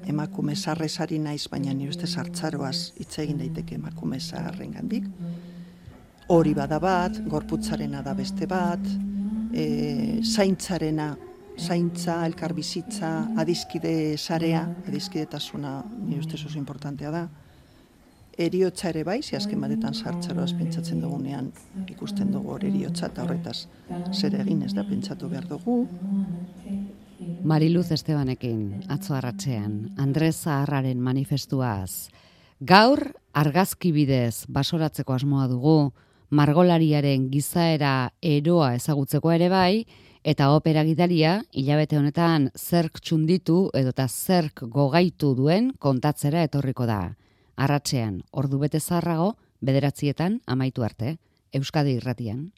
Emakume zaharrezari naiz, baina nire ustez hartzaroaz hitz egin daiteke emakume zaharrengandik. Hori bada bat, gorputzarena da beste bat, zaintza, elkarbizitza, adizkide sarea, adizkidetasuna nire ustez oso importantea da. Eriotza ere bai, azken batetan hartzaroaz pentsatzen dugunean ikusten dugu hor eriotza eta horretaz zer egin ez da pentsatu behar dugu. Mariluz Estebanekin, atzo arratsean, Andres Zaharraren manifestuaz. Gaur, argazki bidez basoratzeko asmoa dugu, margolariaren gizaera eroa ezagutzeko ere bai, eta opera gidaria, hilabete honetan zerk txunditu edota zerk gogaitu duen kontatzera etorriko da. Arratsean, ordu bete zaharrago, 9:00 amaitu arte, Euskadi Irratian.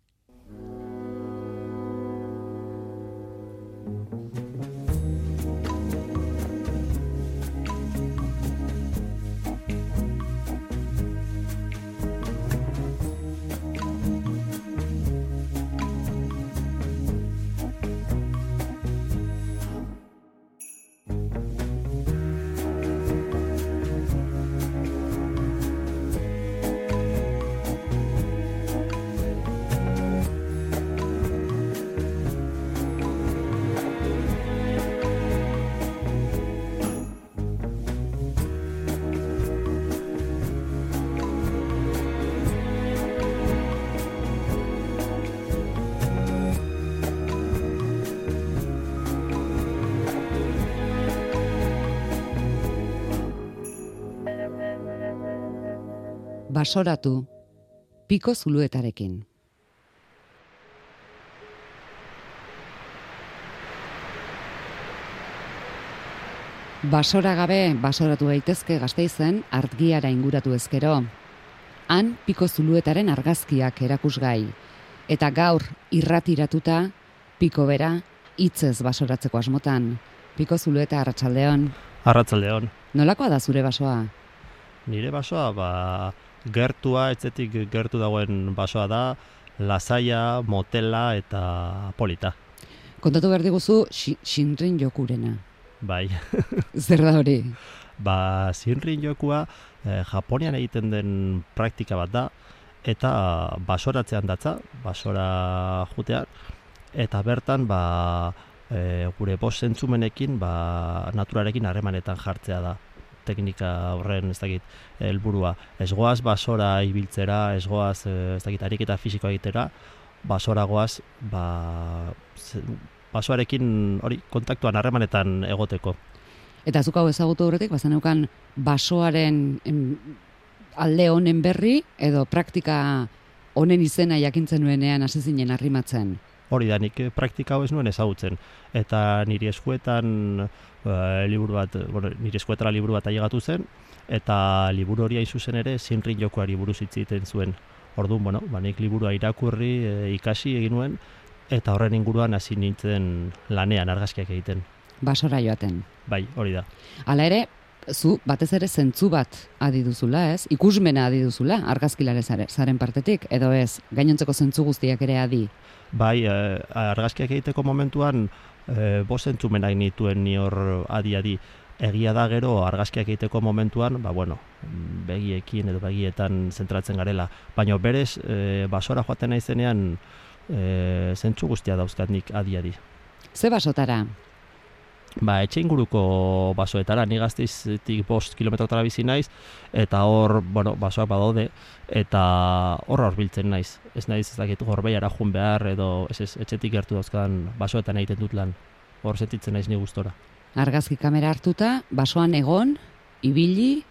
Basoratu, Piko Zuluetarekin. Basora gabe, basoratu daitezke Gasteizen artgiara inguratu ezkero. Han Piko Zuluetaren argazkiak erakusgai. Eta gaur irratiratuta, Piko bera hitzez basoratzeko asmotan. Piko Zulueta, arratsaldeon. Arratsaldeon. Nolakoa da zure basoa? Nire basoa, gertua, etzetik gertu dagoen basoa da, lasaia, motela eta polita. Kontatu behar diguzu, Shinrin jokurena. Bai. Zer da hori? Shinrin jokua Japonian egiten den praktika bat da, eta basoratzean datza, basora jutean, eta bertan gure bost zentzumenekin naturarekin harremanetan jartzea da. Teknika horren, ez dakit, helburua. Ez goaz basora ibiltzera, ez goaz, ez dakit, ariketa fisikoa egitera, basora goaz, basoarekin hori kontaktuan harremanetan egoteko. Eta zuk hau ezagutu horretik, bazeneukan basoaren alde honen berri, edo praktika honen izena jakintzen nuenean hasi zinen arrimatzen? Hori da, nik praktika hau ez nuen ezagutzen. Eta nire eskuetan nire eskuetara liburu bat ailegatu zen, eta liburu hori hain zuzen ere Shinrin jokuari buruz hitz egiten zuen. Orduan, nik liburua irakurri, ikasi egin nuen, eta horren inguruan hasi nintzen lanean argazkiak egiten. Basora joaten. Bai, hori da. Hala ere, zu batez ere zentzu bat adiduzula, ez? Ikusmena adiduzula, argazkilare zaren partetik, edo ez, gainontzeko zentzu guztiak ere adi? Bai, argazkiak egiteko momentuan bost zentzumenak nituen ni hor adi-adi. Egia da gero argazkiak egiteko momentuan, begiekin edo begietan zentratzen garela. Baina berez, basora joaten naizenean zentzu guztia dauzkat nik adi-adi. Ze basotara? Etxe inguruko basoetara, ni Gasteizetik 5 kilometrotara bizi naiz, eta hor, basoak badaude, eta horra biltzen naiz. Ez naiz, ez dakit, Gorbeiara joan behar, edo etxetik gertu dauzkan basoetan egiten dut lan. Hor sentitzen naiz ni gustora. Argazki kamera hartuta, basoan egon, ibili?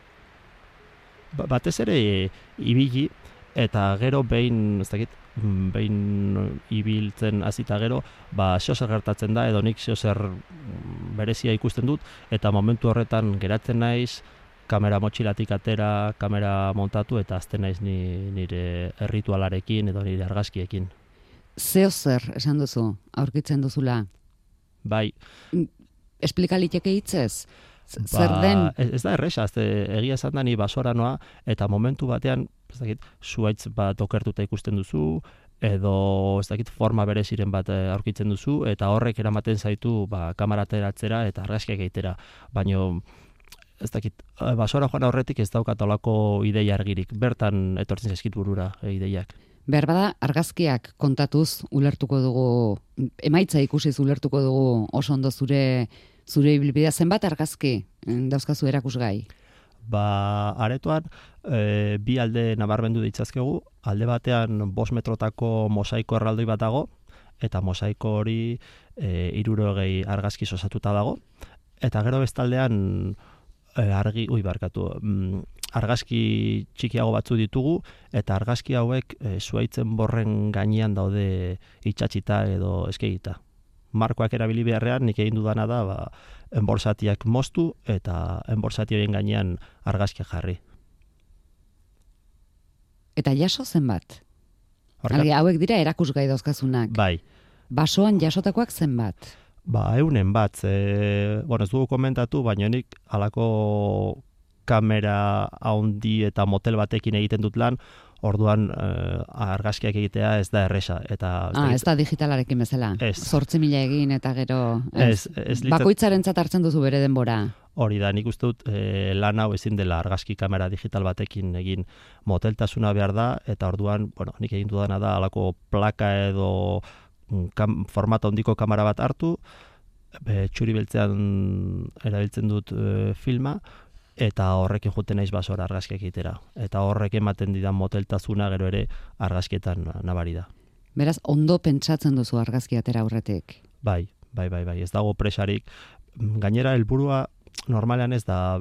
Batez ere ibili, eta gero behin ibiltzen hasita gero, zeozer gertatzen da, edo nik zeozer berezia ikusten dut, eta momentu horretan geratzen naiz, kamera motxilatik atera, kamera montatu, eta azten naiz nire erritualarekin edo nire argazkiekin. Zeozer, esan duzu, aurkitzen duzula? Bai. Esplika liteke hitzez? Zer den? Ez da erresa, egia esan da ni basora noa, eta momentu batean, zuhaitz bat okertuta ikusten duzu, edo ez dakit forma bereziren bat aurkitzen duzu, eta horrek eramaten zaitu kamera ateratzera eta argazkiak egitera. Baina ez dakit, basora joan aurretik ez daukat olako ideia argirik, bertan etortzen zaizkit burura ideiak. Behar bada, argazkiak kontatuz ulertuko dugu, emaitza ikusiz ulertuko dugu oso ondo zure ibilbidea. Zenbat argazki dauzkazu erakusgai? Aretoan, bi alde nabarmendu ditzazkegu, alde batean 5 metrotako mosaiko erraldoi bat dago, eta mosaiko hori 60 argazki osatuta dago, eta gero bestaldean argazki txikiago batzu ditugu, eta argazki hauek zuhaitzen borren gainean daude itxatxita edo eskegita. Markoak erabili beharrean, nik egin dudana da, enborsatiak moztu eta enborsati horien gainean argazkia jarri. Eta jaso zenbat? Hauek dira erakusgai dauzkazunak. Bai. Basoan jasotakoak zenbat? 100 bat. Ez dugu komentatu, baina nik halako kamera handi eta motel batekin egiten dut lan, orduan argazkiak egitea ez da erresa. Ez da digitalarekin bezala. 8.000 egin eta gero... Bakoitzarentzat hartzen duzu bere denbora. Hori da, nik uste dut lan hau ezin dela argazki kamera digital batekin egin, moteltasuna behar da, eta orduan, nik egin dudana da halako plaka edo formato handiko kamera bat hartu, txuri beltzean erabiltzen dut filma, eta horrekin juten naiz basora argazkiak egitera. Eta horrek ematen didan moteltasuna gero ere argazkietan nabari da. Beraz, ondo pentsatzen duzu argazki atera aurretik? Bai, ez dago presarik. Gainera, helburua normalean ez da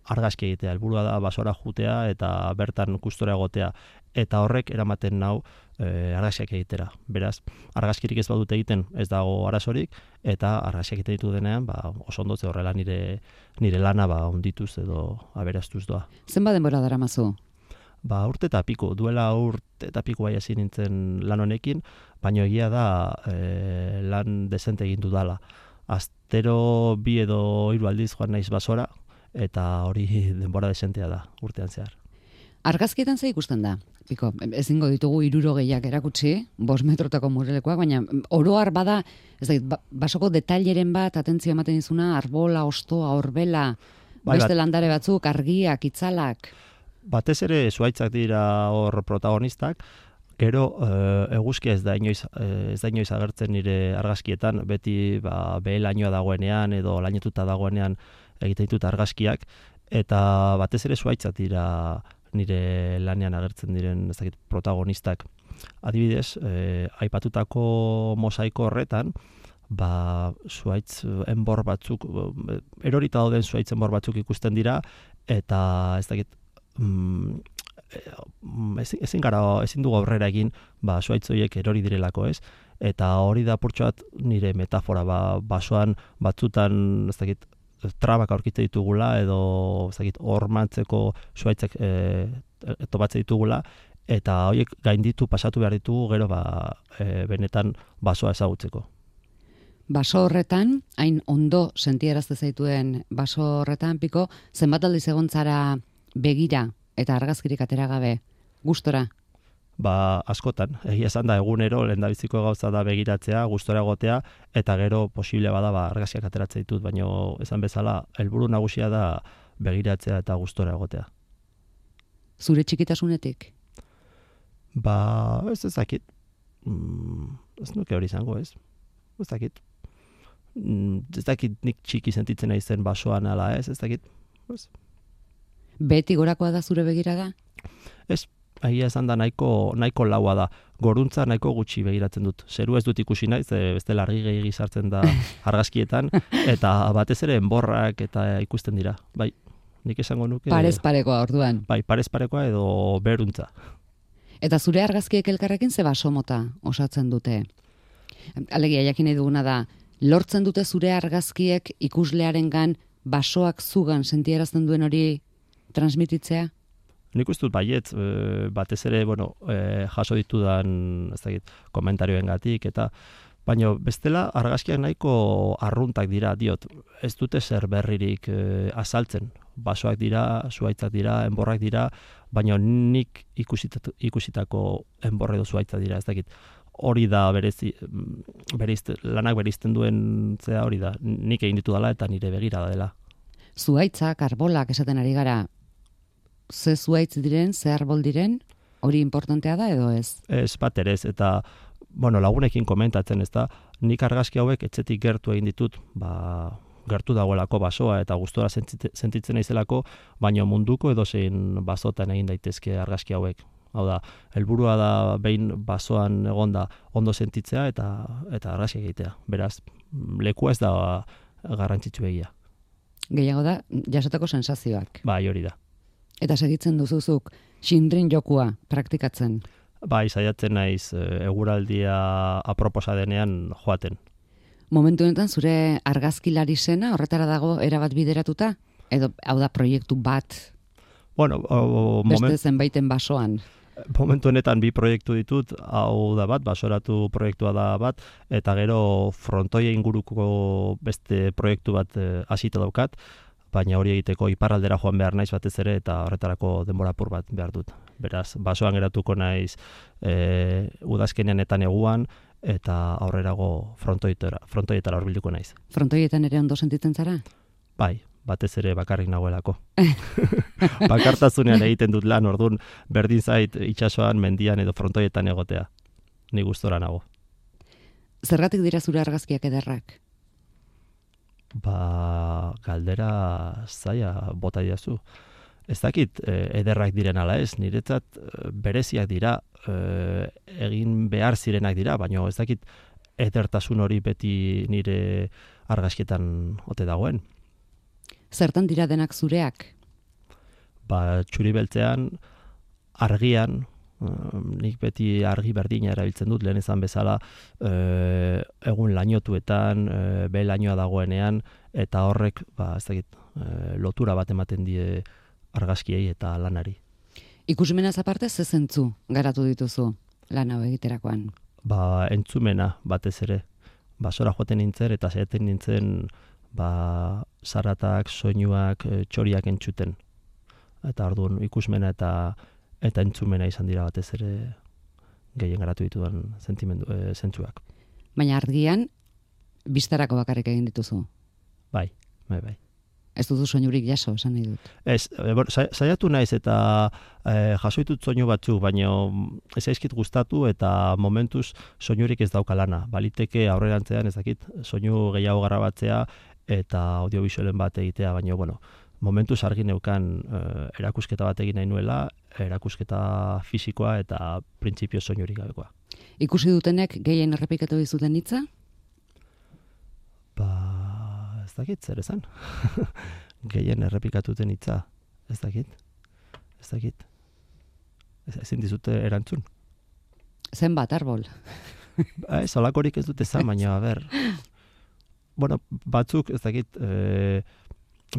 argazki egitea, helburua da basora jutea eta bertan kustora egotea. Eta horrek eramaten nau argazkiak egitera. Beraz, argazkirik ez badut egiten ez dago arazorik, eta argazkiak egiten ditu denean, oso ondotze horrela nire lana ondituz edo aberastuz doa. Zenbat denbora daramazu? Urte eta piku, duela urte eta piku bai hasi nintzen lan honekin, baina egia da lan dezente egin dudala. Astero 2 edo 3 aldiz joan naiz basora, eta hori denbora desentea da urtean zehar. Argazkietan ze ikusten da? Piko, ezingo ditugu 60 erakutsi, 5 metrotako murelekoak, baina oroar bada, ez da, basoko detaileren bat, atentzio ematen dizuna, arbola, ostoa, orbela, beste landare batzuk, argiak, itzalak. Batez ere zuhaitzak dira hor protagonistak, gero eguzkia ez da inoiz agertzen nire argazkietan, beti behe-lainoa dagoenean edo lainetuta dagoenean egiten ditut argazkiak, eta batez ere zuhaitzak dira nire lanean agertzen diren protagonistak. Adibidez, aipatutako mosaiko horretan, zuhaitz enbor batzuk, erorita dauden zuhaitz enbor batzuk ikusten dira, eta ez dakit, ezin dugu aurrera egin, zuhaitz horiek erori direlako, ez? Eta hori da purtsuat nire metafora, basoan batzutan, ez dakit, trabak aurkitzen ditugula edo hormantzeko zuhaitzak topatzen ditugula, eta horiek gainditu pasatu behar ditugu gero benetan basoa ezagutzeko. Baso horretan, hain ondo sentiarazte zaituen baso horretan, Piko, zenbat aldiz egon zara begira eta argazkirik atera gabe, gustora? Askotan, egia esan da egunero lehendabiziko gauza da begiratzea, gustora egotea, eta gero posible bada argazkiak ateratzen ditut, baina esan bezala helburu nagusia da begiratzea eta gustora egotea. Zure txikitasunetik? Ez dakit. Ez nuke hori izango, ez? Ez dakit. Ez dakit nik txiki sentitzen naizen basoan ala, ez dakit. Beti gorakoa da zure begirada? Ez. Egia esan da nahiko laua da. Goruntza nahiko gutxi begiratzen dut. Zeru ez dut ikusi naiz, bestela argi gehiegi sartzen da argazkietan, eta batez ere enborrak eta ikusten dira. Bai, nik esango nuke... Parez parekoa orduan. Bai, parez parekoa edo beruntza. Eta zure argazkiek elkarrekin ze baso mota osatzen dute? Alegia, jakin nahi duguna da, lortzen dute zure argazkiek ikuslearengan basoak zugan sentiarazten duen hori transmititzea? Nik uste dut baiet, batez ere, jaso ditudan komentarioengatik, eta baina bestela argazkiak nahiko arruntak dira, diot, ez dute zer berririk azaltzen. basoak dira, zuhaitzak dira, enborrak dira, baina nik ikusitako enborre edo zuhaitza dira, ez dakit. Hori da lanak bereizten duen zea hori da. Nik egin ditu dela eta nire begira dela. Zuhaitzak, arbolak esaten ari gara, ze zuhaitz diren, ze arbol diren, hori importantea da edo ez? Ez bat ere ez, eta lagunekin komentatzen ez da, nik argazki hauek etxetik gertu egin ditut, gertu dagoelako basoa eta gustora sentitzen naizelako, baina munduko edozein basotan egin daitezke argazki hauek. Hau da, helburua da behin basoan egonda ondo sentitzea eta argazki egitea. Beraz, lekua ez da garrantzitsu egia. Gehiago da, jasotako sensazioak. Bai, hori da. Eta segitzen duzuzuk, xinrin jokua praktikatzen? Bai, saiatzen naiz eguraldia aproposa denean joaten. Momentu honetan zure argazkilari zena horretara dago erabat bideratuta? Edo, hau da, proiektu bat? Beste zenbaiten basoan? Momentu honetan 2 proiektu ditut, hau da bat, basoratu proiektua da bat, eta gero frontoia inguruko beste proiektu bat hasita daukat, baina hori egiteko iparraldera joan behar naiz batez ere, eta horretarako denbora apur bat behar dut. Beraz, basoan geratuko naiz udazkenean eta neguan, eta aurrerago frontoietara horbilduko naiz. Frontoietan ere ondo sentitzen zara? Bai, batez ere bakarrik nagoelako. Bakartasunean egiten dut lan, orduan berdin zait itsasoan, mendian edo frontoietan egotea. Ni gustora nago. Zergatik dira zure argazkiak ederrak? Galdera zaila bota didazu. Ez dakit ederrak diren ala ez, niretzat bereziak dira, egin behar zirenak dira, baina ez dakit edertasun hori beti nire argazkietan ote dagoen. Zertan dira denak zureak? Txuri beltzean, argian, nik beti argi berdina erabiltzen dut, lehen ezan bezala, egun lainotuetan, lainoa dagoenean, eta horrek, ez dakit, lotura bat ematen die argazkiei eta lanari. Ikusmenaz aparte, ze zentzu garatu dituzu lan hau egiterakoan? Entzumena batez ere. Basora joaten nintzen eta saiatzen nintzen zaratak, soinuak, txoriak entzuten. Eta orduan ikusmena eta entzumena izan dira batez ere gehien garatu ditudan zentzuak. Baina argian, bistarako bakarrik egin dituzu? Bai. Ez duzu soinurik jaso, esan nahi dut. Ez, saiatu naiz eta jaso ditut soinu batzuk, baina ez zaizkit gustatu eta momentuz soinurik ez dauka lana. Baliteke aurrerantzean ez dakit soinu gehiago grabatzea eta audiovisualen bat egitea, baina momentuz argi neukan erakusketa bat egin nahi nuela, erakusketa fisikoa eta printzipio soinurik gabekoa. Ikusi dutenek gehien errepikatu dizuten hitza? Ez dakit, zer esan. Gehien errepikatuten hitza. Ez dakit. Ezin dizute erantzun. Zenbat, arbol? Olakorik ez dute esan, baina, batzuk, ez dakit,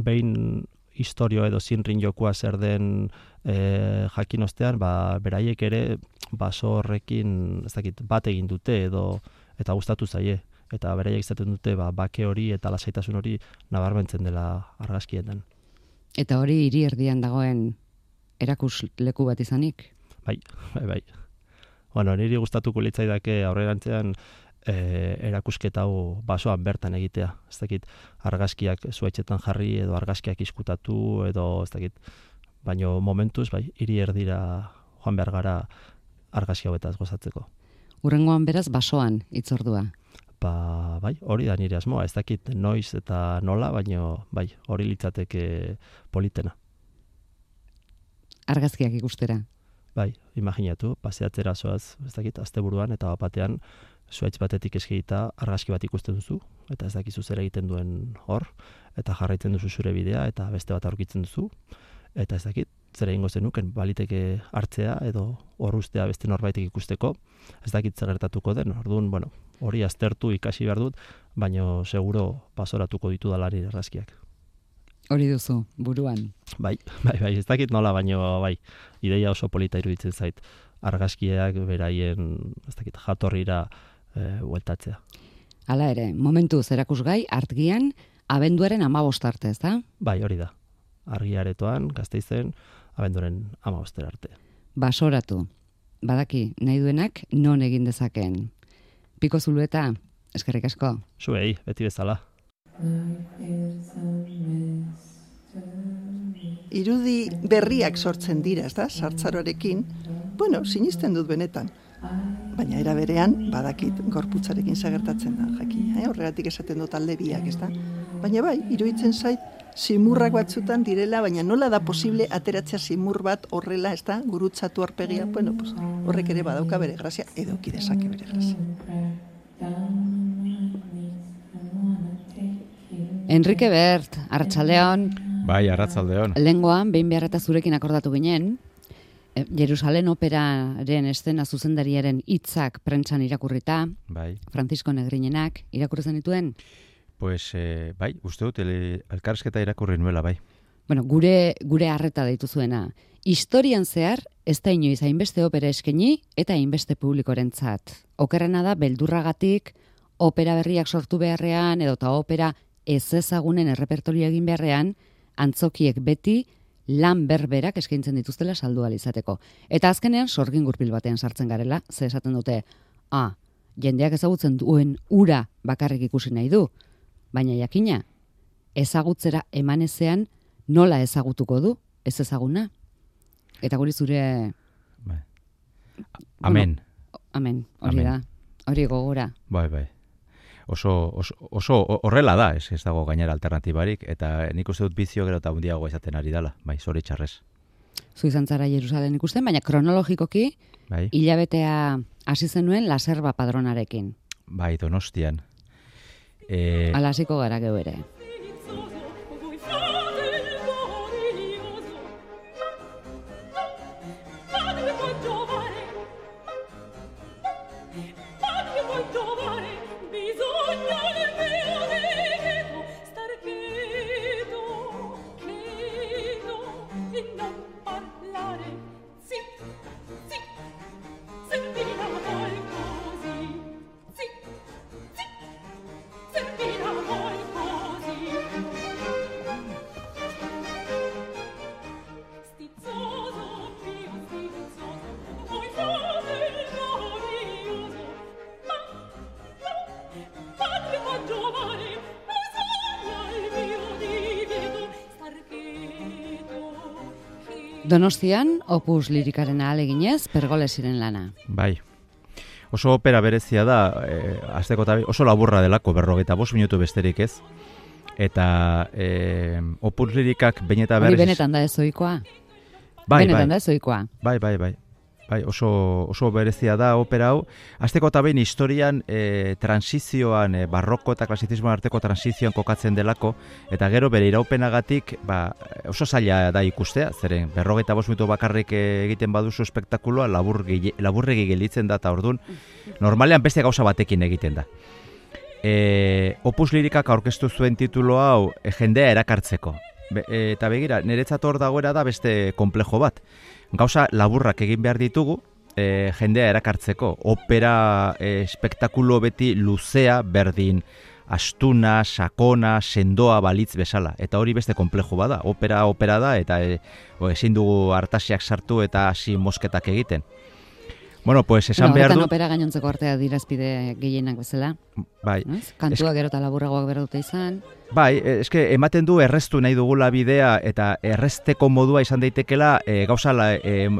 behin historio edo zinrin jokua zer den jakin ostean, beraiek ere baso horrekin, ez dakit, bat egin dute edo eta gustatu zaie. Eta beraiek izaten dute bake hori eta lasaitasun hori nabarmentzen dela argazkietan. Eta hori hiri erdian dagoen erakusleku bat izanik? Bai. Niri gustatuko litzaidake aurrerantzean erakusketa hau basoan bertan egitea. Ez dakit, argazkiak zuhaitzetan jarri edo argazkiak izkutatu edo ez dakit. Baina momentuz, hiri erdira joan behar gara argazki hauetaz gozatzeko. Hurrengoan beraz basoan itzordua? Hori da nire asmoa, ez dakit noiz eta nola, baina hori litzateke politena. Argazkiak ikustera? Imaginatu, paseatzera zoaz, ez dakit, asteburuan eta batean zuhaitz batetik eskegita argazki bat ikusten duzu, eta ez dakizu zer egiten duen hor, eta jarraitzen duzu zure bidea, eta beste bat aurkitzen duzu, eta ez dakit, zer egingo zenuken, baliteke hartzea edo hor ustea beste norbaitek ikusteko, ez dakit zer gertatuko den, orduan, hori aztertu ikasi behar dut, baina seguro basoratuko ditu dalari argazkiak. Hori duzu, buruan? Bai, ez dakit nola, baina ideia oso polita iruditzen zait, argazkiak beraien, ez dakit, jatorrira bueltatzea. Hala ere, momentuz erakusgai, argian, abenduaren 15 arte, ez da? Bai, hori da. Argiaretoan, Gasteizen, abenduaren 15 arte. Basoratu. Badaki, nahi duenak non egin dezakeen. Piko Zulueta, eskerrik asko. Zuei, beti bezala. Irudi berriak sortzen dira, ez da, sartzaroarekin, bueno, sinisten dut benetan. Baina era berean, badakit gorputzarekin zagertatzen da, jakina, horregatik esaten dut alde biak, ez da? Baina bai, iruditzen zait, simurrak batzutan direla, baina nola da posible ateratzea simur bat horrela, ez da, gurutzatu aurpegia, bueno, pues, horrek ere badauka bere grazia, edo kidezake bere grazia. Enrique Bert, Arratsaldeon. Bai, Arratsaldeon. Lengoan, behin behar eta zurekin akordatu ginen, Jerusalen operaren estena zuzendariaren hitzak prentsan irakurrita, Bai. Francisco Negrinenak irakurri zenituen? Pues, bai, uste dut, elkarrizketa irakurri nuela, bai. Bueno, gure harreta deitu zuena. Historian zehar, ez da inoiz hainbeste opera eskaini eta hainbeste publikorentzat. Okerrena da, beldurragatik, opera berriak sortu beharrean, edota opera ez ezagunen errepertorio egin beharrean, antzokiek beti lan berberak eskaintzen dituztela saldu ahal izateko. Eta azkenean sorgin gurpil batean sartzen garela, ze esaten dute, jendeak ezagutzen duen ura bakarrik ikusi nahi du, baina jakina, ezagutzera eman ezean nola ezagutuko du, ez ezaguna. Eta guri zure... Bai. Amen. Amen, hori da, hori gogora. Bai. Oso horrela da, ez dago gainera alternatibarik, eta nik uste dut bizio gero eta hundiago izaten ari dela, bai, zoritxarrez. Zu izan zara Jerusalen ikusten, baina kronologikoki, bai. Hilabetea hasi zenuen Laserba padronarekin. Bai, Donostian. Hala hasiko gara geu ere. Donostian, Opus Lirikaren ahaleginez, Pergolesiren lana. Bai. Oso opera berezia da, hasteko eta oso laburra delako, 45 minutu besterik ez. Eta Opus Lirikak behin eta berriz... Hori benetan da ez ohikoa? Bai. Benetan da ez ohikoa? Bai. Bai, oso berezia da opera hau. Hasteko eta behin historian transizioan, barroko eta klasizismoan arteko transizioan kokatzen delako, eta gero bere iraupenagatik oso zaila da ikustea, zeren 45 minutu bakarrik egiten baduzu espektakuloa, laburregi gelditzen da, eta ordun normalean beste gauza batekin egiten da. Opus Lirikak aurkeztu zuen titulo hau jendea erakartzeko. Eta begira, niretzat hor dagoera da beste konplejo bat. Gauza laburrak egin behar ditugu, jendea erakartzeko. Opera espektakulo beti luzea, berdin, astuna, sakona, sendoa balitz bezala. Eta hori beste konplejo bada. Opera da, eta ezin dugu artasiak sartu eta hasi mosketak egiten. Bueno, pues esan behar du... opera gainontzeko artea dirazpide gehienak bezala. Bai. Kantua gero eta laburragoak behar dute izan. Bai, eske ematen du erreztu nahi dugula bidea eta errezteko modua izan daitekela gauza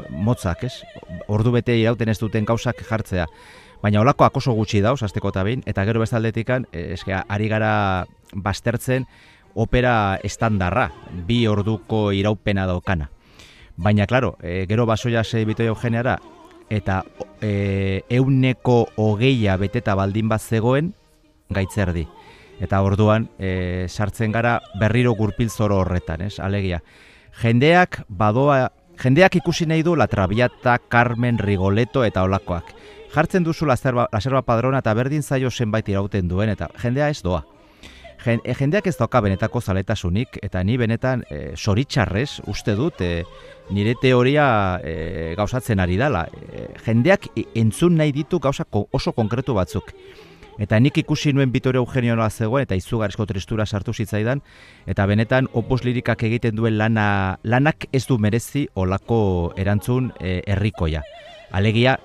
motzak, ez? Ordu bete irauten ez duten gauzak jartzea. Baina holakoak oso gutxi dauz, hasteko eta behin, eta gero bestaldetikan, eske ari gara baztertzen opera estandarra, 2 orduko iraupena daukana. Baina, klaro, gero basoia Bito Eugeneara, eta 120 beteta baldin bat zegoen gaitzerdi. Eta orduan sartzen gara berriro gurpil zoro horretan, ez? Alegia, jendeak ikusi nahi du La Traviata, Carmen, Rigoletto eta olakoak. Jartzen duzu Laserba padrona eta berdin zaio zenbait irauten duen, eta jendea ez doa. Jendeak ez dauka benetako zaletasunik, eta ni benetan zoritxarrez uste dut nire teoria gauzatzen ari dela. Jendeak entzun nahi ditu gauza oso konkretu batzuk. Eta nik ikusi nuen Vittorio Eugenio nola zegoen, eta izugarrizko tristura sartu zitzaidan, eta benetan Opus Lirikak egiten duen lanak ez du merezi olako erantzun herrikoia. Alegia,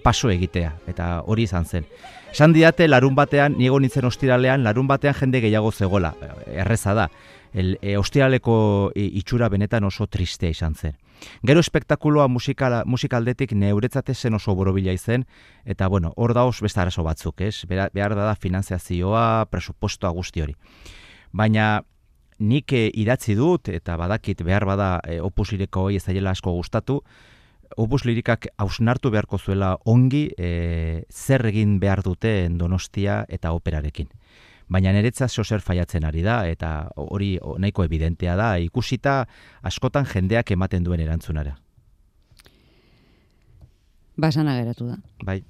paso egitea, eta hori izan zen. Esan didate, larun batean, niego nintzen ostiralean, larun batean jende gehiago zegoela, erreza da. Ostiraleko itxura benetan oso tristea izan zen. Gero espektakuloa musikaldetik neuretzat zen oso borobila izen, eta bueno, hor dauz beste arazo batzuk, ez? Behar da finanziazioa, presupuestoa guzti hori. Baina nik idatzi dut, eta badakit behar bada Opus Liriko hori ez daiela asko gustatu, Opus Lirikak hausnartu beharko zuela ongi zer egin behar duten Donostia eta operarekin. Baina niretzat zer faiatzen ari da, eta hori nahiko evidentea da, ikusita askotan jendeak ematen duen erantzunara. Basana geratu da. Bai.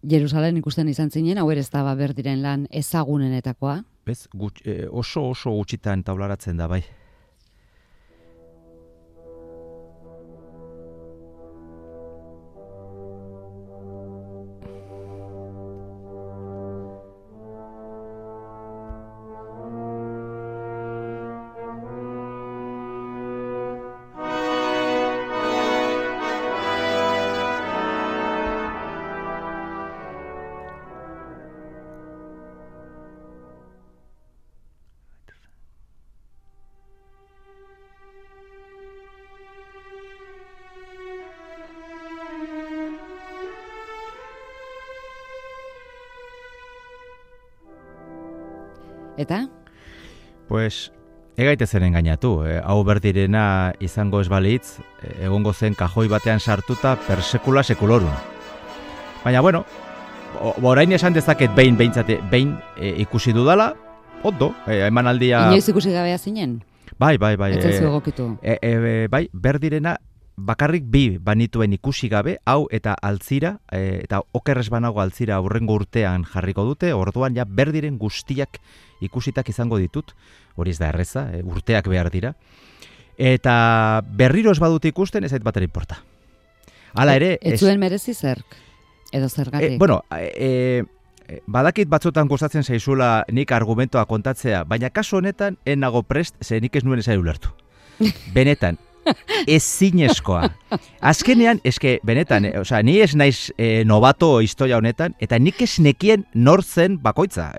Jerusalen ikusten izan zinen, hau ere ez da Berdiren lan ezagunenetakoa. Bez, oso gutxitan taularatzen da, bai. Eta? Pues, egaitezen engainatu. Hau Berdirena izango ez balitz, egongo zen kajoi batean sartuta per sekula sekulorum. Baina, bueno, orain esan dezaket behin ikusi dudala, ondo, emanaldia... Inoiz ikusi gabea zinen? Bai. Etzezu egokitu. Bai, Berdirena bakarrik bi banituen ikusi gabe, hau eta Altzira, eta okerrez banago Altzira aurrengo urtean jarriko dute, orduan ja Berdiren guztiak ikusitak izango ditut, hori ez da erreza, urteak behar dira, eta berriro ez badut ikusten, ez ait batera inporta. Hala ere... Ez zuen merezi zerk, edo zergatik? Badakit batzutan gustatzen zaizula nik argumentoa kontatzea, baina kasu honetan, nago prest, ze nik ez nuen ezai ulertu. Benetan, ezinezkoa. Azkenean, benetan, ni ez naiz novato historia honetan, eta nik ez nekien nor zen bakoitza.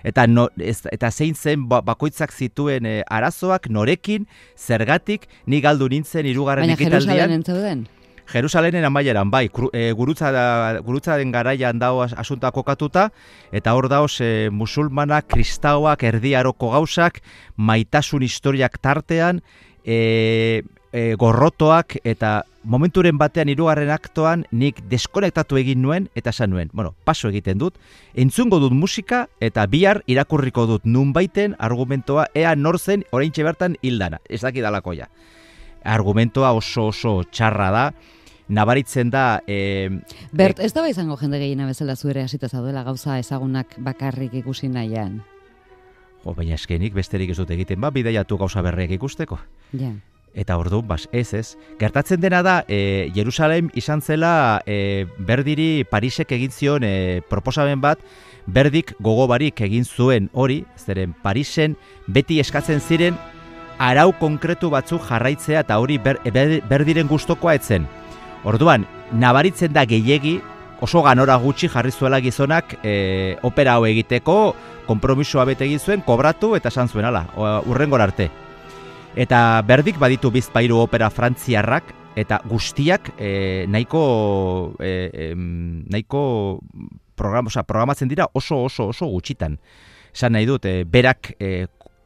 Eta zein zen bakoitzak zituen arazoak, norekin, zergatik, ni galdu nintzen hirugarren ekitaldian. Baina Jerusalenen zauden? Jerusalenen amaieran, bai, gurutzaren garaian dago asunta kokatuta, eta hor daoz musulmanak, kristauak, erdiaroko gauzak, maitasun historiak tartean, gorrotoak, eta momenturen batean hirugarren aktoan nik deskonektatu egin nuen, eta esan nuen, paso egiten dut, entzungo dut musika, eta bihar irakurriko dut nunbaiten argumentoa, ea nor zen oraintxe bertan hildana, ez dakidalakoia. Argumentoa oso txarra da, nabaritzen da... Bert, ez da izango jende gehiena bezala zuere hasita zauduela gauza ezagunak bakarrik ikusi nahian? Baina eskenik besterik ez dut egiten, bidaiatu gauza berriak ikusteko. Ja. Eta orduan, ez. Gertatzen dena da, Jerusalem izan zela Berdiri Parisek egin zion proposamen bat, Berdik gogo barik egin zuen hori, zeren Parisen beti eskatzen ziren arau konkretu batzuk jarraitzea, eta hori Berdiren gustokoa etzen. Orduan, nabaritzen da gehiegi, oso ganora gutxi jarri zuela gizonak opera hau egiteko, konpromisoa bete egin zuen, kobratu eta esan zuen, urrengor arte. Eta Berdik baditu bizpairu opera frantziarrak, eta guztiak nahiko programatzen dira oso gutxitan. Esan nahi dut, berak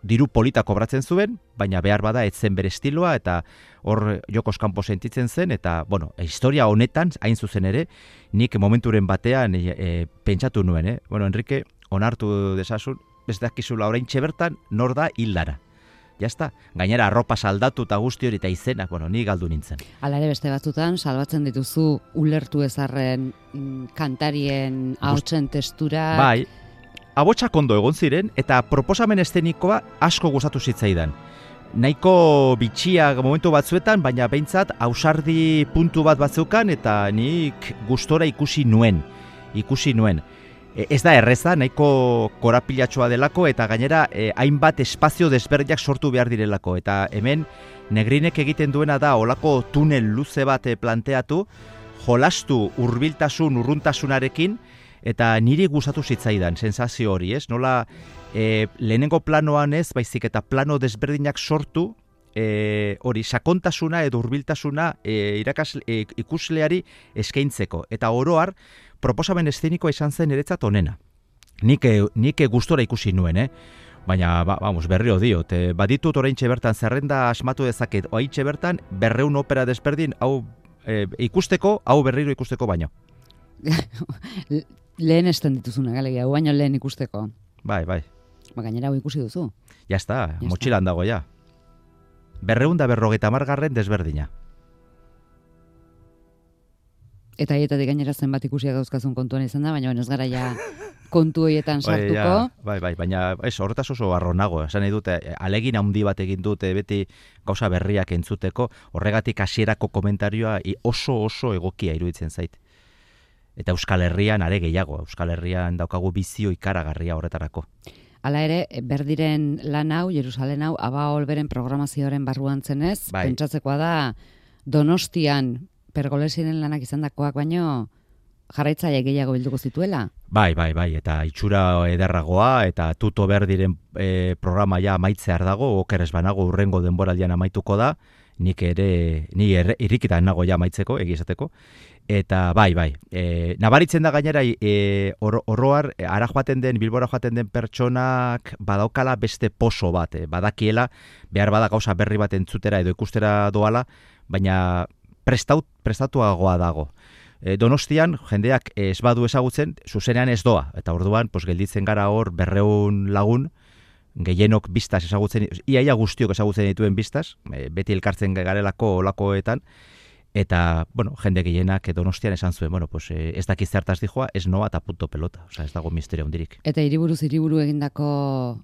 diru polita kobratzen zuen, baina behar bada etzen bere estiloa, eta hor jokoz kanpo sentitzen zen, eta, historia honetan, hain zuzen ere, nik momenturen batean pentsatu nuen, Enrique, onartu dezasun, ez dakizula oraintxe bertan, nor da hildara. Jazta, gainera arropa saldatu eta guzti hori eta izenak, ni galdu nintzen. Hala ere beste batzutan, salbatzen dituzu ulertu ezarren kantarien ahotsen testura. Bai, abotsak ondo egon ziren, eta proposamen eszenikoa asko gustatu zitzaidan. Nahiko bitxia momentu batzuetan, baina behintzat ausardi puntu bat batzeukan, eta nik gustora ikusi nuen. ez da erreza, nahiko korapilatxoa delako, eta gainera hainbat espazio desberdinak sortu behar direlako. Eta hemen Negrinek egiten duena da olako tunel luze bat planteatu, jolastu hurbiltasun, urruntasunarekin, eta niri gustatu zitzaidan, sensazio hori, ez? Nola lehenengo planoan ez, baizik eta plano desberdinak sortu, hori sakontasuna edo hurbiltasuna ikusleari eskaintzeko. Eta oroar, proposamen eszenikoa izan zen niretzat onena. Nik gustora ikusi nuen, baina, berriro diot, baditut oraintxe bertan zerrenda asmatu dezaket, oraintxe bertan 200 opera desberdin, hau ikusteko, hau berriro ikusteko baino. Lehen esten dituzuna, galegia, hau baino lehen ikusteko. Bai. Gainera hau ikusi duzu. Ya está, motxilan dago ja. 250 desberdina. Eta hietatik gainera zenbat ikusiak dauzkazun kontuan izan da, baina ez gara ja kontu horietan sartuko. Bai, baina horretaz oso arronago. Esan nahi dute, alegin handi bat egin dute beti gauza berriak entzuteko, horregatik hasierako komentarioa oso egokia iruditzen zait. Eta Euskal Herrian are gehiago, Euskal Herrian daukagu bizio ikaragarria horretarako. Hala ere, berdiren lan hau, Jerusalen hau, Aba Olberen programazioaren barruan zenez, pentsatzekoa da Donostian Pergolesiren lanak izandakoak baino jarraitzaile gehiago bilduko zituela. Bai, eta itxura ederragoa, eta tuto berdiren programa ja amaitzear dago, okeres banago urrengo denboraldian amaituko da, ni irrikitan nago ja amaitzeko, egizateko. Eta bai, nabaritzen da gainera oroar, Bilbora joaten den pertsonak badaukala beste poso bat, badakiela, behar bada gauza berri bat entzutera edo ikustera doala, baina prestatuagoa dago. Donostian, jendeak ez badu ezagutzen, zuzenean ez doa, eta orduan, gelditzen gara hor 200 lagun, gehienok biztaz ezagutzen, iaia guztiok ezagutzen dituen biztaz, beti elkartzen garelako olakoetan, eta, jende gehienak Donostian esan zuen, ez dakiz zertaz dijoa, ez noa eta punto pelota, ez dago misterio hondirik. Eta hiriburu egindako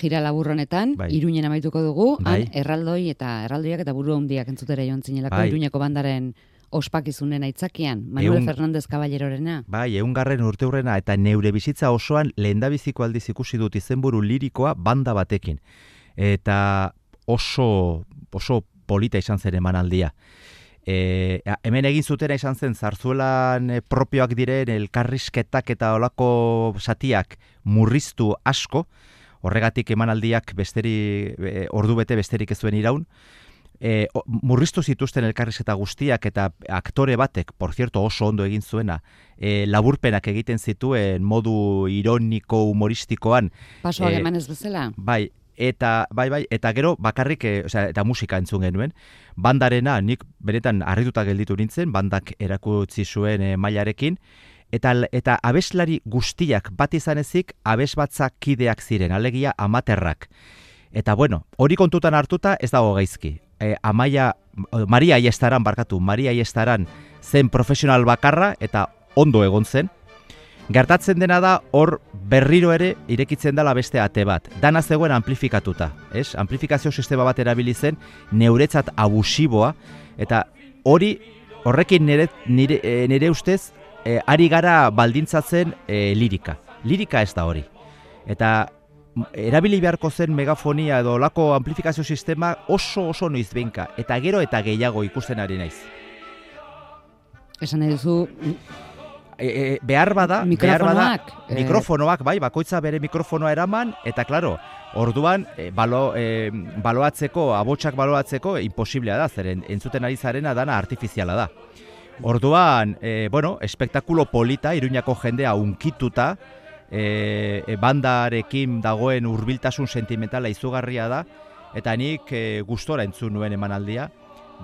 jira labur honetan, Iruñen amaituko dugu, erraldoi eta erraldoiak eta buru handiak entzutera joan zinelako Iruñeko bandaren ospakizunen aitzakian, Manuel Fernández Caballerorena. 100. urteurrena eta neure bizitza osoan lehendabiziko aldiz ikusi dut izenburu lirikoa banda batekin. Eta oso polita izan zen emanaldia. Hemen egin zutena izan zen Zarzuelan propioak diren elkarrizketak eta olako satiak murriztu asko, horregatik emanaldiak ordu bete besterik ez zuen iraun, murriztu zituzten elkarrizketa guztiak eta aktore batek, por cierto oso ondo egin zuena, laburpenak egiten zituen modu ironiko humoristikoan. Pasoak emanez bezala? Bai, eta gero bakarrik, eta musika entzun genuen, bandarena nik benetan harrituta gelditu nintzen, bandak erakutsi zuen mailarekin, eta abeslari guztiak bat izan ezik, abesbatzak kideak ziren, alegia amaterrak. Eta hori kontutan hartuta ez dago gaizki. Maria Aiestaran zen profesional bakarra eta ondo egon zen. Gertatzen dena da hor berriro ere irekitzen dela beste ate bat. Dana zegoen amplifikatuta, ez? Amplifikazio sistema bat erabili zen neuretzat abusiboa eta horrekin nire ustez ari gara baldintzatzen lirika. Lirika ez da hori. Eta erabili beharko zen megafonia edo lako amplifikazio sistema oso noizbenka eta gero eta gehiago ikusten ari naiz. Esan nahi duzu behar bada mikrofonoak, bakoitza bere mikrofonoa eraman, eta klaro, orduan abotsak baloatzeko imposiblea da, zeren entzuten ari zarena dana artifiziala da. Orduan, espektakulo polita, Iruñako jendea unkituta, bandarekin dagoen hurbiltasun sentimentala izugarria da, eta nik gustora entzun nuen emanaldia,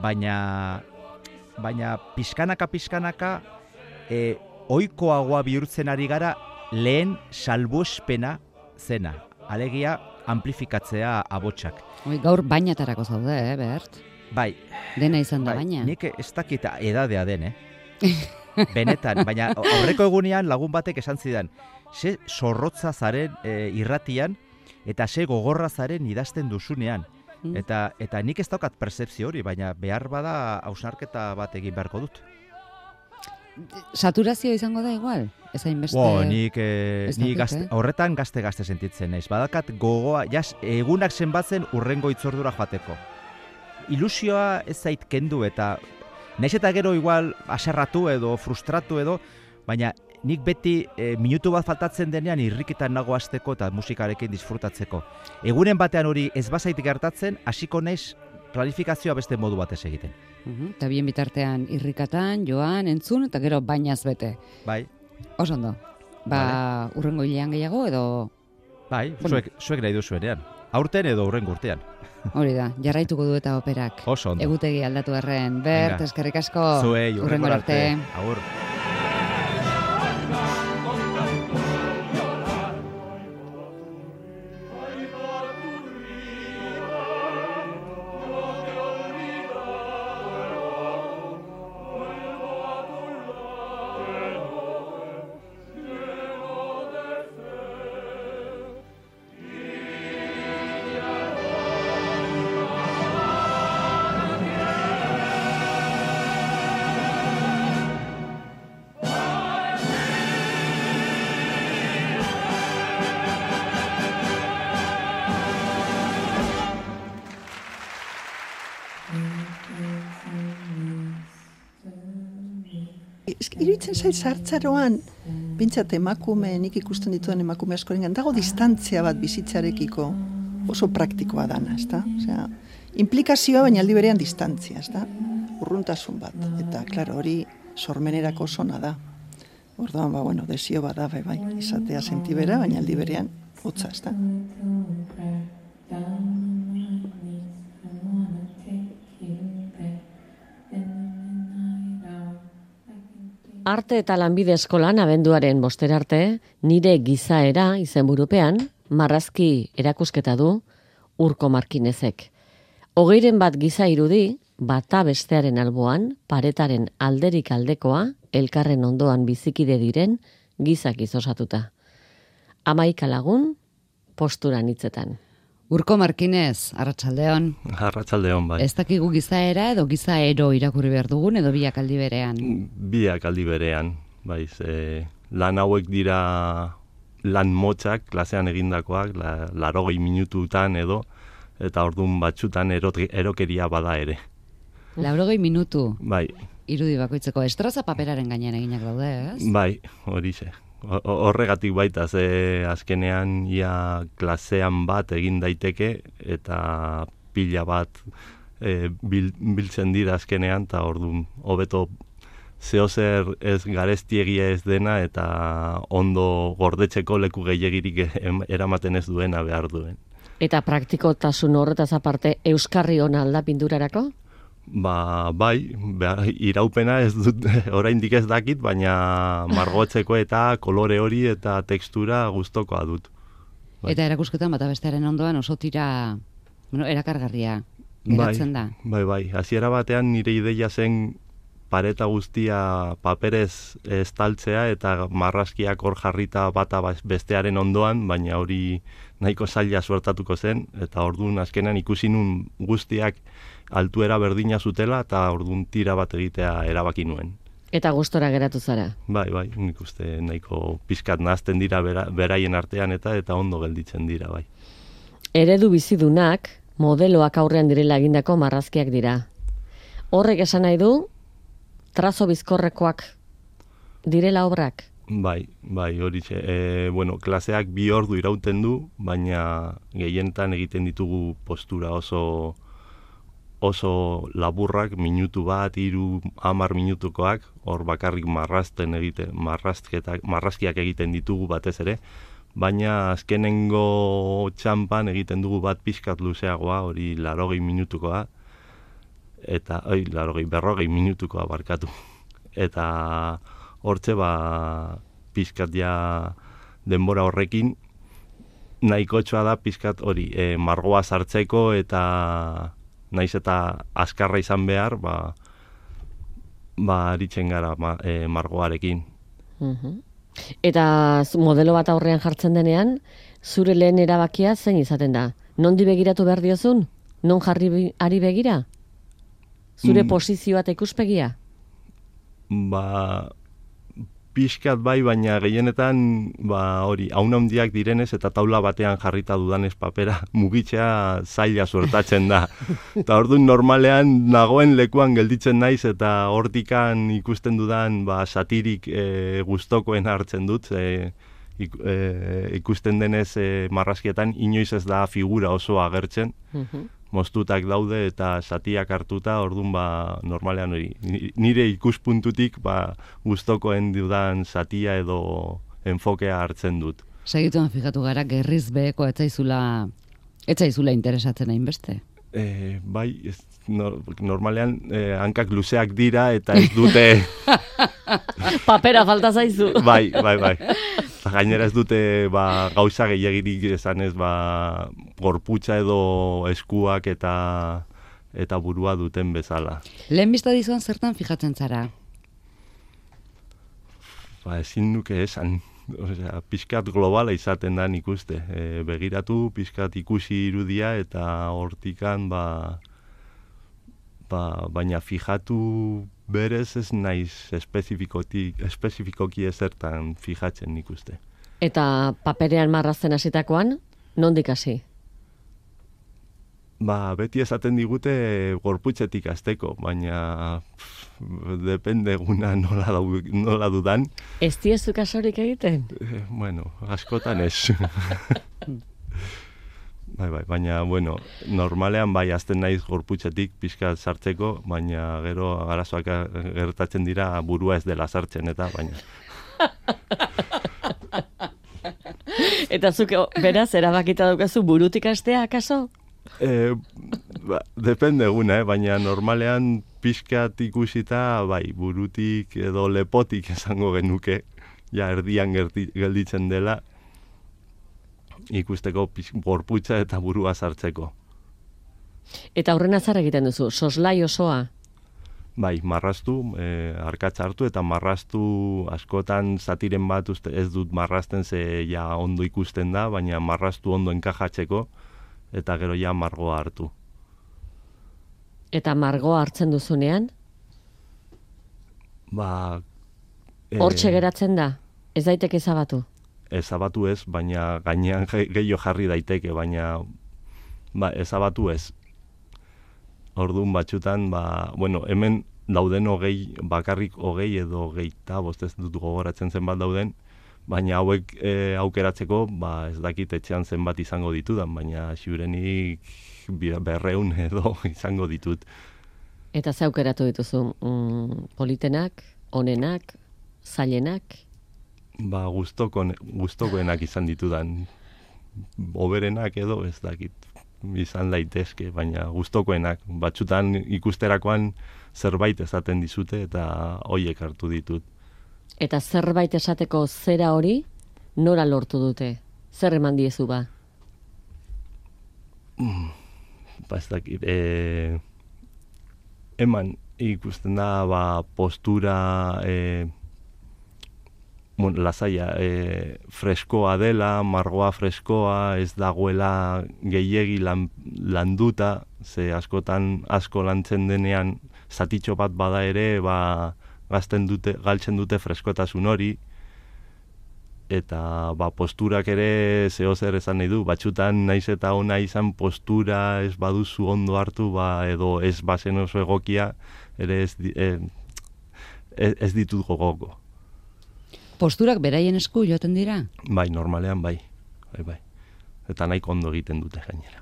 baina pixkanaka ohikoagoa bihurtzen ari gara lehen salbuespena zena, alegia amplifikatzea abotsak. Gaur bainatarako zaude, Bert? Bai. Dena izan da baina. Nik ez dakit edadea den, benetan, baina aurreko egunean lagun batek esan zidan, ze zorrotza zaren irratian eta ze gogorra zaren idazten duzunean. Eta nik ez daukat percepzio hori, baina behar bada hausnarketa bat egin beharko dut. Saturazio izango da igual? Ez hainbeste... Nik horretan gazte sentitzen naiz. Badakat gogoa, egunak zenbatzen urrengo itzordura joateko. Ilusioa ez zait kendu eta naiz eta gero igual aserratu edo frustratu edo, baina nik beti minutu bat faltatzen denean irrikitan nago hasteko eta musikarekin disfrutatzeko. Egunen batean hori ez bazait gertatzen, hasiko naiz planifikazioa beste modu batez egiten. Eta bien bitartean irrikatan, joan, entzun, eta gero bainaz bete. Bai. Oso ondo. Urrengo hilean gehiago edo... Bai, zuek nahi duzuenean. Aurten edo urrengo urtean. Hori da, jarraituko du eta operak. Oso ondo. Egutegi aldatu erren. Bert, eskerrik asko. Zuei, urrengo arte. Agur. Iruditzen zait zartzaroan, bintzat nik ikusten dituen emakume askorengan, dago distantzia bat bizitzarekiko oso praktikoa dana, ezta? Osea, implikazioa baina aldi berean distantzia, ezta? Urruntasun bat, eta klaro hori sormenerako osona da. Orduan, desio bat da, bai, izatea sentibera, baina aldi berean hotza, ezta? Arte eta lanbide eskolan abenduaren 5 arte, nire gizaera izenburupean, marrazki erakusketa du Urko Markinezek. 21 giza irudi, bata bestearen alboan, paretaren alderik aldekoa, elkarren ondoan bizikide diren, gizak osatuta. 11 lagun, posturan hitzetan. Urko Markinez, arratsaldeon. Arratsaldeon, bai. Ez dakigu gizaera edo gizaero irakurri behar dugun edo biak aldi berean? Biak aldi berean, bai. Lan hauek dira lan motzak, klasean egindakoak, 80 minututan edo, eta ordun batzutan erokeria bada ere. 80 minutu? Bai. Irudi bakoitzeko estroza paperaren gainean eginak daude, ez? Bai, horixe. Horregatik baita, azkenean ia klasean bat egin daiteke eta pila bat biltzen dira azkenean, eta orduan hobeto zeozer ez garestiegia ez dena eta ondo gordetzeko leku gehiagirik eramaten ez duena behar duen. Eta praktikotasun horretaz aparte euskarri ona alda pinturarako? Bai, iraupena ez dut, oraindik ez dakit, baina margotzeko eta kolore hori eta tekstura gustokoa dut. Bai. Eta erakusketan bata bestearen ondoan oso tira, erakargarria geratzen da. Bai, hasiera batean nire ideia zen pareta guztia paperez estaltzea eta marrazkiak hor jarrita bata bestearen ondoan, baina hori nahiko zaila suertatuko zen, eta orduan azkenan ikusi nun guztiak altuera berdina zutela, eta orduan tira bat egitea erabaki nuen. Eta gustora geratu zara? Bai, nik uste nahiko pizkat nahazten dira beraien artean eta ondo gelditzen dira, bai. Eredu bizidunak, modeloak aurrean direla egindako marrazkiak dira. Horrek esan nahi du, trazo bizkorrekoak direla obrak? Bai, horixe. Klaseak 2 ordu irauten du, baina gehienetan egiten ditugu postura oso laburrak, minutu bat, 3-10 minutukoak, hor bakarrik marrazkiak egiten ditugu batez ere, baina azkenengo txampan egiten dugu bat pixkat luzeagoa, hori 80 minutukoa, eta 40 minutukoa barkatu. Eta hortze pixkat ja denbora horrekin nahikotxoa da pixkat hori margoa sartzeko eta naiz eta azkarra izan behar, aritzen gara margoarekin. Eta modelo bat aurrean jartzen denean, zure lehen erabakia zein izaten da? Nondi begiratu behar diozun? Non jarri ari begira? Zure posizioa eta ikuspegia? pixkat bai, baina gehienetan hori, haun handiak direnez eta taula batean jarrita dudanez papera mugitzea zaila suertatzen da. Eta orduan normalean nagoen lekuan gelditzen naiz eta hortikan ikusten dudan satirik gustokoen hartzen dut. Ikusten denez marrazkietan inoiz ez da figura oso agertzen. Moztutak daude eta satiak hartuta, orduan normalean hori. Nire ikuspuntutik gustokoen dudan satia edo enfokea hartzen dut. Segituan fijatu gara, gerriz beheko etzaizula interesatzen hainbeste. Bai, normalean hankak luzeak dira eta ez dute... Papera falta zaizu. Bai. Gainera ez dute gauza gehiagirik esanez gorputza edo eskuak eta burua duten bezala. Lehen bizta dizuan zertan fijatzen zara? Ezin nuke esan. Osea, pixkat globala izaten da ikuste. Begiratu, pixkat ikusi irudia eta hortikan baina fijatu berez ez naiz espezifikoki ezertan fijatzen ikuste. Eta paperean marrazten hasitakoan, nondik hasi? Beti esaten digute gorputzetik hasteko, baina depende eguna nola dudan. Ez diezu kasorik egiten? Bueno, askotan ez. Bai, baina, normalean hasten naiz gorputzetik pixka sartzeko, baina gero arazoak gertatzen dira burua ez dela sartzen, eta baina. Eta zuk beraz, erabakita daukazu burutik hastea, akaso? Depende eguna, baina normalean pixkat ikusita, burutik edo lepotik esango genuke, erdian gelditzen dela, ikusteko gorputza eta burua sartzeko. Eta horren azar egiten duzu, soslai osoa? Bai, marraztu, arkatza hartu eta marraztu askotan zatiren bat ez dut marrazten ze ondo ikusten da, baina marraztu ondo enkajatzeko eta gero margoa hartu. Eta margoa hartzen duzunean? Hortxe geratzen da? Ez daiteke ezabatu? Ezabatu ez, baina gainean gehiago jarri daiteke, baina ezabatu ez. Orduan batzutan, hemen dauden bakarrik 20 edo 25, ez dut gogoratzen zenbat dauden, baina hauek aukeratzeko, ez dakit etxean zenbat izango ditudan, baina ziurenik 200 edo izango ditut. Eta ze aukeratu dituzu? Politenak, onenak, zailenak? Gustokoenak izan ditudan. Oberenak edo ez dakit izan daitezke, baina gustokoenak. Batzutan ikusterakoan zerbait esaten dizute eta hoiek hartu ditut. Eta zerbait esateko zera hori nora lortu dute? Zer eman diezu ba? Ez dakit. Eman ikusten da postura lasaia, freskoa dela, margoa freskoa, ez dagoela gehiegi landuta, ze askotan asko lantzen denean zatitxo bat bada ere, galtzen dute freskotasun hori, eta posturak ere zehozer esan nahi du, batzutan naiz eta ona izan postura ez baduzu ondo hartu, edo ez bazen oso egokia, ere ez ditut gogoko. Posturak beraien esku joaten dira? Bai, normalean bai. Eta nahiko ondo egiten dute gainera.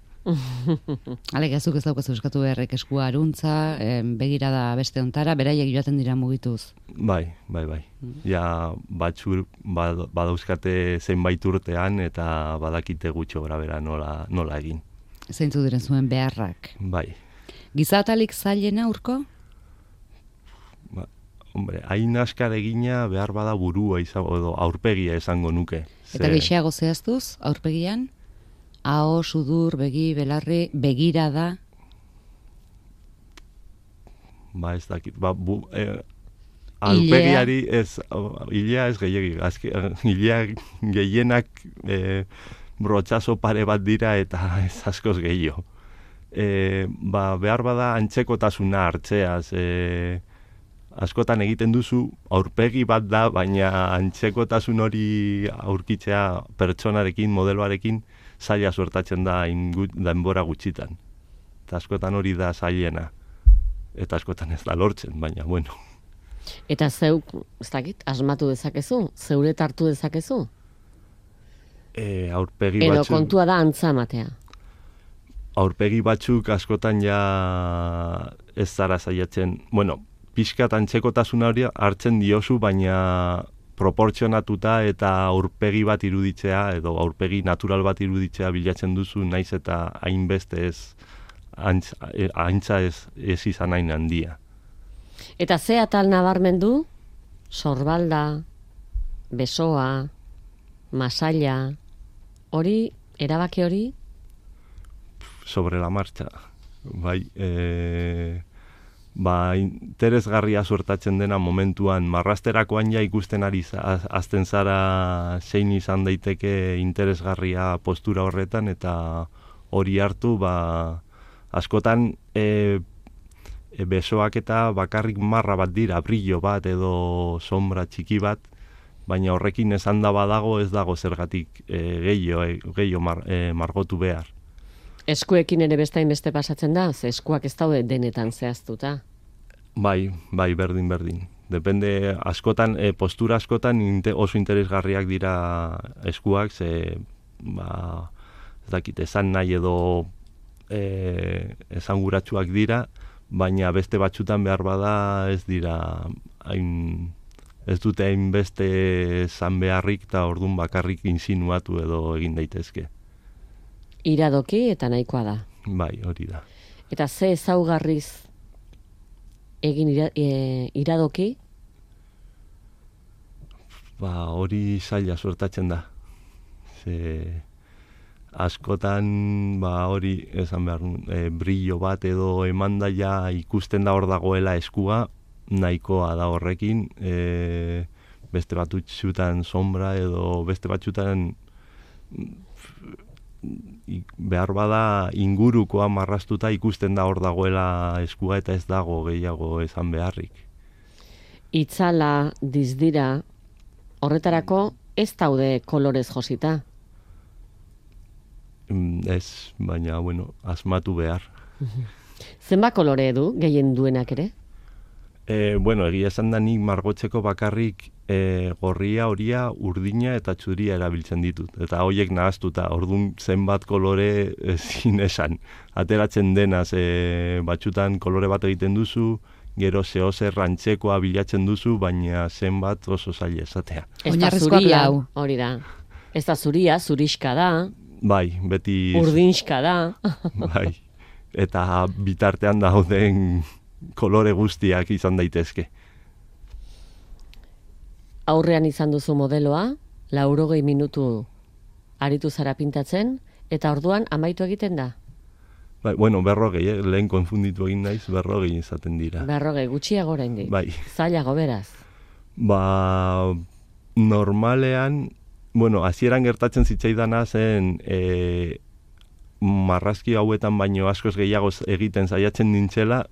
Alegazuk ez daukazu eskatu beharrek eskua aruntza, begirada beste ontara, beraiek joaten dira mugituz. Bai. Ja, batzur badauzkate zenbait urtean eta badakite gutxo grabera nola egin. Zeintzu diren zuen beharrak. Bai. Gizatalik zailena urko? Hain askar egina behar bada burua edo aurpegia esango nuke. Eta gehiago zehaztuz, aurpegian? Aho, sudur, begi, belarri, begirada? Ez dakit. Aurpegiari ez, hilea ez gehiagi. Hilea gehienak brotxazo pare bat dira eta ez askoz gehiago. Behar bada antzekotasuna hartzeaz, askotan egiten duzu, aurpegi bat da, baina antzekotasun hori aurkitzea pertsonarekin, modeloarekin, zaila suertatzen da denbora gutxitan. Eta askotan hori da zailena. Eta askotan ez da lortzen, baina, bueno. Eta zeuk, ez dakit, asmatu dezakezu? Zeuret hartu dezakezu? Aurpegi Edo batzuk... kontua da antza ematea. Aurpegi batzuk askotan ja ez zara saiatzen. Bueno, pixkat antzekotasuna hori hartzen diozu, baina proportzionatuta eta aurpegi bat iruditzea, edo aurpegi natural bat iruditzea bilatzen duzu, naiz eta hainbeste ez antza ez izan hain handia. Eta ze atal nabarmendu? Sorbalda, besoa, masaila, hori, erabaki hori? Sobre la marcha. Bai, interesgarria suertatzen dena momentuan, marrasterakoan ja ikusten ari azten zara zein izan daiteke interesgarria postura horretan, eta hori hartu, askotan besoak eta bakarrik marra bat dira, brillo bat edo sombra txiki bat, baina horrekin esan da badago ez dago zergatik gehiago margotu behar. Eskuekin ere beste pasatzen da, ze eskuak ez daude denetan zehaztuta. Bai, berdin. Depende, askotan, postura askotan oso interesgarriak dira eskuak, ze, ez dakit, esan nahi edo esanguratsuak dira, baina beste batzutan behar bada ez dira, ez dute hainbeste esan beharrik eta ordun bakarrik insinuatu edo egin daitezke. Iradoki eta nahikoa da. Bai, hori da. Eta ze ezaugarriz egin iradoki? Hori zaila suertatzen da. Askotan hori esan behar, brillo bat edo emandaia ikusten da hor dagoela eskua, nahikoa da horrekin, beste batzutan sombra edo beste batzutan behar bada ingurukoa marrastuta ikusten da hor dagoela eskua eta ez dago gehiago esan beharrik. Itzala, dizdira, horretarako ez daude kolorez josita? Ez, baina, asmatu behar. Zenbat kolore du, gehien duenak ere? Egia esan da nik margotzeko bakarrik gorria, horia, urdina eta txuria erabiltzen ditut. Eta horiek nahaztuta, orduan zenbat kolore ezin esan. Ateratzen denaz, batzutan kolore bat egiten duzu, gero zehozer rantzekoa bilatzen duzu, baina zenbat oso zaila esatea. Ez da zuria, hori da. Ez da zuria, zuriska da. Bai, beti... Urdinska da. Bai, eta bitartean dauden kolore guztiak izan daitezke. Aurrean izan duzu modeloa, 80 minutu aritu zara pintatzen, eta orduan amaitu egiten da? Bai, 40, lehen konfunditu egin naiz, 40 izaten dira. 40, gutxiago oraindik. Bai. Zailago beraz. Normalean, hasieran gertatzen zitzaidana zen marrazki hauetan baino askoz gehiago egiten saiatzen nintzela,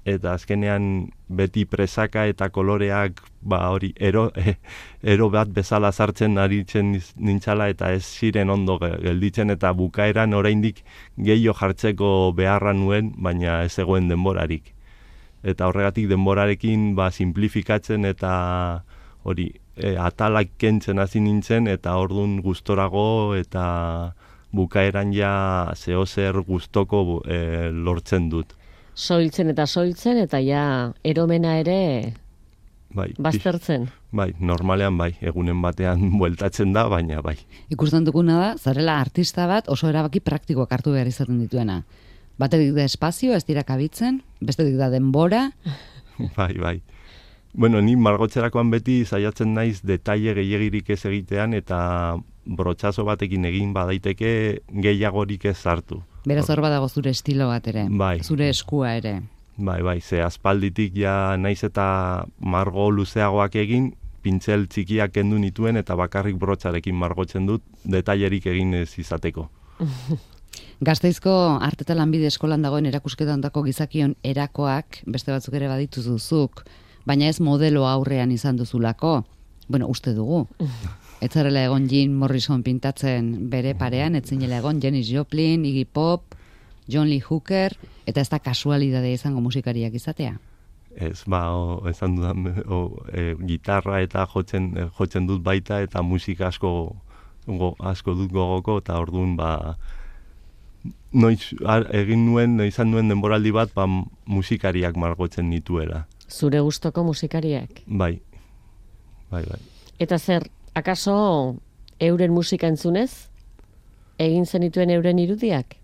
eta azkenean beti presaka eta koloreak hori ero bat bezala sartzen aritzen nintzala eta ez ziren ondo gelditzen, eta bukaeran oraindik gehiago jartzeko beharra nuen, baina ez zegoen denborarik. Eta horregatik denborarekin simplifikatzen eta hori atalak kentzen hasi nintzen, eta ordun gustorago eta bukaeran ja zehozer gustoko lortzen dut. Soiltzen eta ja eromena ere baztertzen. Bai, normalean bai, egunen batean bueltatzen da, baina bai. Ikusten duguna da, zarela artista bat oso erabaki praktikoak hartu behar izaten dituena. Batetik da espazio, ez dira kabitzen, bestetik da denbora. Bai. Ni margotzerakoan beti saiatzen naiz detaile gehiegirik ez egitean, eta brotxazo batekin egin badaiteke gehiagorik ez sartu. Beraz hor badago zure estilo bat ere, bai. Zure eskua ere. Bai, ze aspalditik ja naiz eta margo luzeagoak egin, pintzel txikiak kendu nituen eta bakarrik brotxarekin margotzen dut, detailerik egin ez izateko. Gasteizko Arte eta Lanbide Eskolan dagoen erakusketa ondako gizakion erakoak, beste batzuk ere badituzuzuk, baina ez modelo aurrean izan duzulako. Bueno, uste dugu. Ez zarela egon Jim Morrison pintatzen bere parean, ez zinela egon Janis Joplin, Iggy Pop, John Lee Hooker, eta ez da kasualidadea izango musikariak izatea. Ez, esan dudan, gitarra eta jotzen dut baita, eta musika asko dut gogoko, eta orduan, izan nuen denboraldi bat, musikariak margotzen nituela. Zure gustoko musikariak? Bai. Eta zer, akaso euren musika entzunez? Egin zenituen euren irudiak?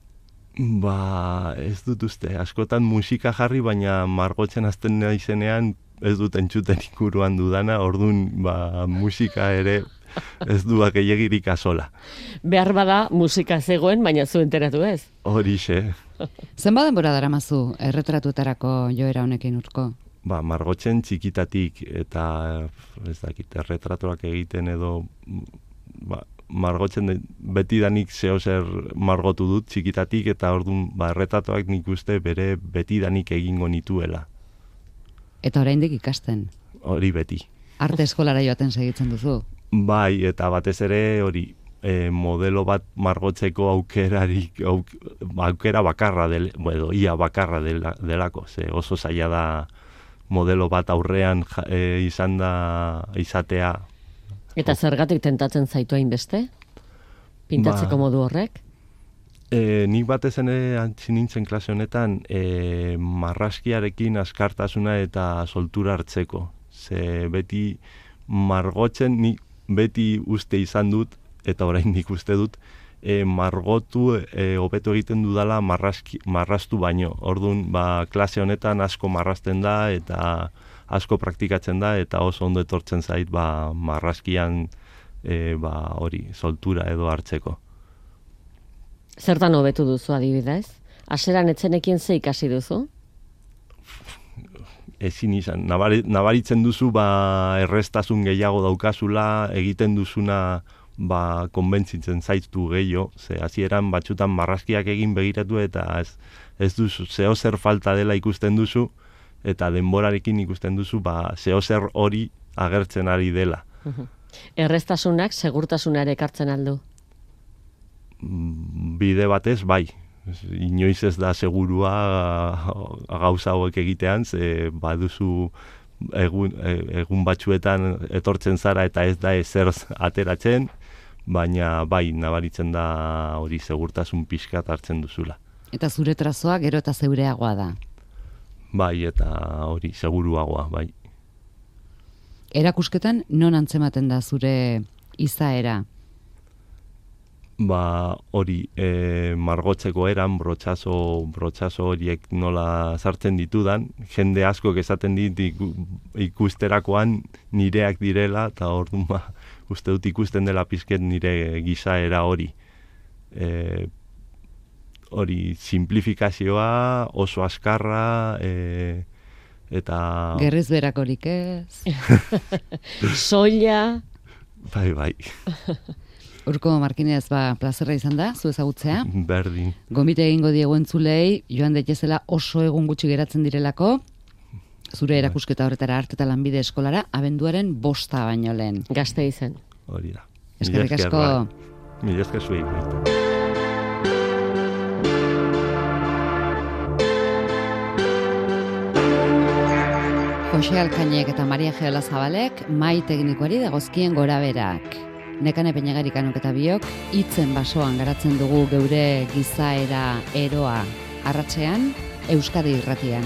Ez dut uste. Askotan musika jarri, baina margotzen hasten naizenean ez dut entzuten ikuruan dudana, orduan musika ere ez duak gehiagirik asola. Behar bada musika zegoen, baina zu enteratu ez? Horixe. Zenbat denbora daramazu erretratuetarako joera honekin Urko? Margotzen txikitatik eta ez dakit, erretratuak egiten edo margotzen betidanik zehozer margotu dut txikitatik eta orduan erretratuak nik uste bere betidanik egingo nituela. Eta oraindik ikasten? Hori beti. Arte eskolara joaten segitzen duzu? Bai, eta batez ere hori modelo bat margotzeko aukera bakarra ia bakarra delako, ze oso zaila da modelo bat aurrean izatea. Eta zergatik tentatzen zaitu hainbeste? Pintatzeko modu horrek? Nik batez ere antzi nintzen klase honetan marraskiarekin askartasuna eta soltura hartzeko. Ze beti margotzen nik beti uste izan dut, eta oraindik uste dut, margotu hobeto egiten dudala marrastu baino. Orduan, klase honetan asko marrasten da eta asko praktikatzen da eta oso ondo etortzen zait marraskian hori soltura edo hartzeko. Zertan hobetu duzu adibidez? Hasieran etzenekien ze ikasi duzu? Ezin izan. Nabaritzen duzu erreztasun gehiago daukazula, egiten duzuna konbentzitzen zaitu gehiago, ze hasieran batzutan marraskiak egin begiratu eta ez duzu zehozer falta dela ikusten duzu, eta denborarekin ikusten duzu zehozer hori agertzen ari dela. Erreztasunak segurtasunare ekartzen aldu? Bide batez, bai. Inoiz ez da segurua gauza hauek egitean, ze baduzu egun batzuetan etortzen zara eta ez da ezer ateratzen, baina bai, nabaritzen da hori segurtasun pixkat hartzen duzula. Eta zure trazoa gero eta zeureagoa da? Bai, eta hori seguruagoa, bai. Erakusketan non antzematen da zure izaera? Hori margotzeko eran, brotxazo horiek nola sartzen ditudan, jende askok esaten dit ikusterakoan nireak direla, eta orduan uste dut ikusten dela pizket nire gizaera hori. Hori simplifikazioa, oso askarra, eta... Gerriz berakorik ez? Soila... Bai. Urko Markinez, plazerra izan da, zu ezagutzea. Berdin. Gomite egingo diegu entzulei, joan daitezela oso egun gutxi geratzen direlako, zure erakusketa horretara Arte eta Lanbide Eskolara, abenduaren 5 baino lehen. Gasteizen. Hori da. Eskerrik asko. Mila esker zuei. Jose Alkainek eta Maria Geola Zabalek mai teknikoari dagozkien goraberak. Nekane Peñagarikanok eta biok hitzen basoan garatzen dugu geure gizaera eroa arratsean Euskadi Irratian.